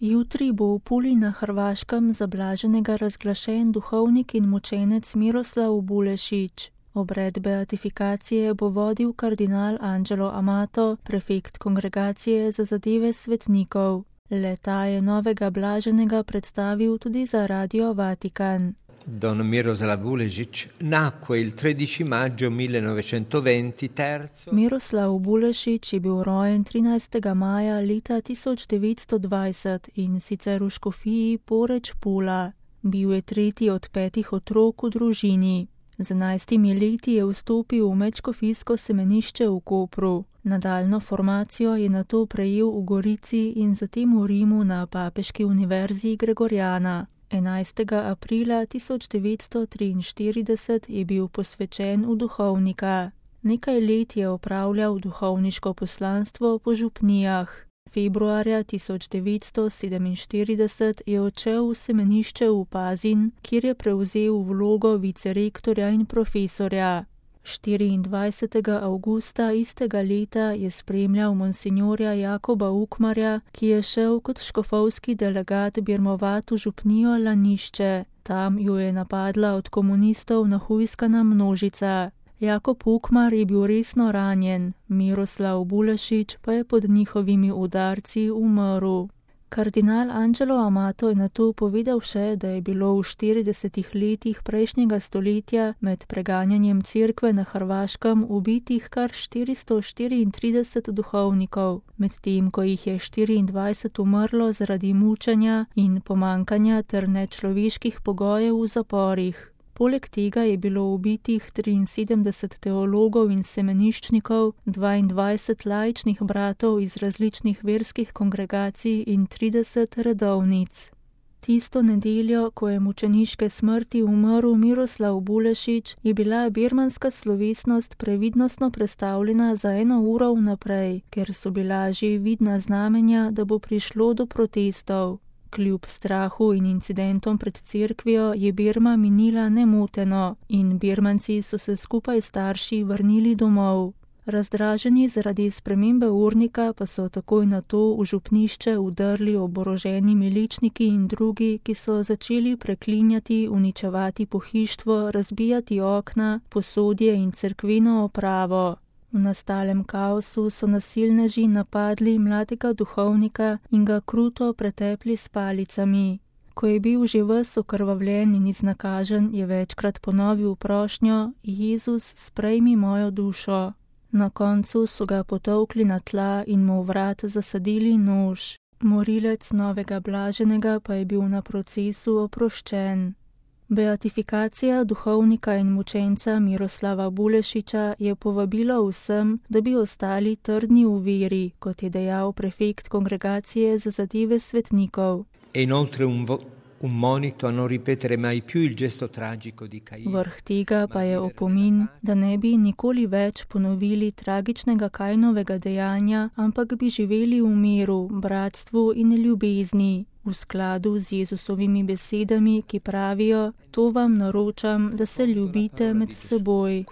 Jutri bo v Puli na Hrvaškem za blaženega razglašen duhovnik in mučenec Miroslav Bulešić. Obred beatifikacije bo vodil kardinal Angelo Amato, prefekt Kongregacije za zadeve svetnikov. Le-ta je novega blaženega predstavil tudi za Radio Vatikan. Don Miroslav Bulešić nacque il 13 maggio 1920 terzo. Miroslav Bulešić je bil rojen 13. maja leta 1920 in sicer v škofiji Poreč Pula. Bil je tretji od 5 otrok v družini. Z 11 leti je vstopil v medškofijsko semenišče v Kopru. Nadaljno formacijo je nato prejel v Gorici in zatem v Rimu na Papeški univerzi Gregoriana. 11. aprila 1943 je bil posvečen v duhovnika. Nekaj let je opravljal duhovniško poslanstvo po župnijah. Februarja 1947 je odšel v semenišče v Pazin, kjer je prevzel vlogo vicerektorja in profesorja. 24. avgusta istega leta je spremljal monsinjorja Jakoba Ukmarja, ki je šel kot škofovski delegat birmovat v župnijo Lanišče. Tam jo je napadla od komunistov nahujskana množica. Jakob Ukmar je bil resno ranjen, Miroslav Bulešić pa je pod njihovimi udarci umrl. Kardinal Angelo Amato je nato povedal še, da je bilo v 40 letih prejšnjega stoletja med preganjanjem cerkve na Hrvaškem ubitih kar 434 duhovnikov, medtem ko jih je 24 umrlo zaradi mučenja in pomankanja ter nečloveških pogojev v zaporih. Poleg tega je bilo ubitih 73 teologov in semeniščnikov, 22 laičnih bratov iz različnih verskih kongregacij in 30 redovnic. Tisto nedeljo, ko je mučeniške smrti umrl Miroslav Bulešić, je bila birmanska slovesnost previdnostno prestavljena za 1 uro vnaprej, ker so bila že vidna znamenja, da bo prišlo do protestov. Kljub strahu in incidentom pred cerkvijo je Birma minila nemoteno in Birmanci so se skupaj s starši vrnili domov. Razdraženi zaradi spremembe urnika pa so takoj nato v župnišče vdrli oboroženi miličniki in drugi, ki so začeli preklinjati, uničevati pohištvo, razbijati okna, posodje in cerkveno opravo. V nastalem kaosu so nasilneži napadli mladega duhovnika in ga kruto pretepli s palicami. Ko je bil že ves okrvavljen in iznakažen, je večkrat ponovil prošnjo: Jezus, sprejmi mojo dušo. Na koncu so ga potolkli na tla in mu v vrat zasadili nož. Morilec novega blaženega pa je bil na procesu oproščen. Beatifikacija duhovnika in mučenca Miroslava Bulešića je povabilo vsem, da bi ostali trdni v veri, kot je dejal prefekt Kongregacije za zadeve svetnikov. Vrh tega pa je opomin, da ne bi nikoli več ponovili tragičnega Kainovega dejanja, ampak bi živeli v miru, bratstvu in ljubezni. V skladu z Jezusovimi besedami, ki pravijo: To vam naročam, da se ljubite med seboj.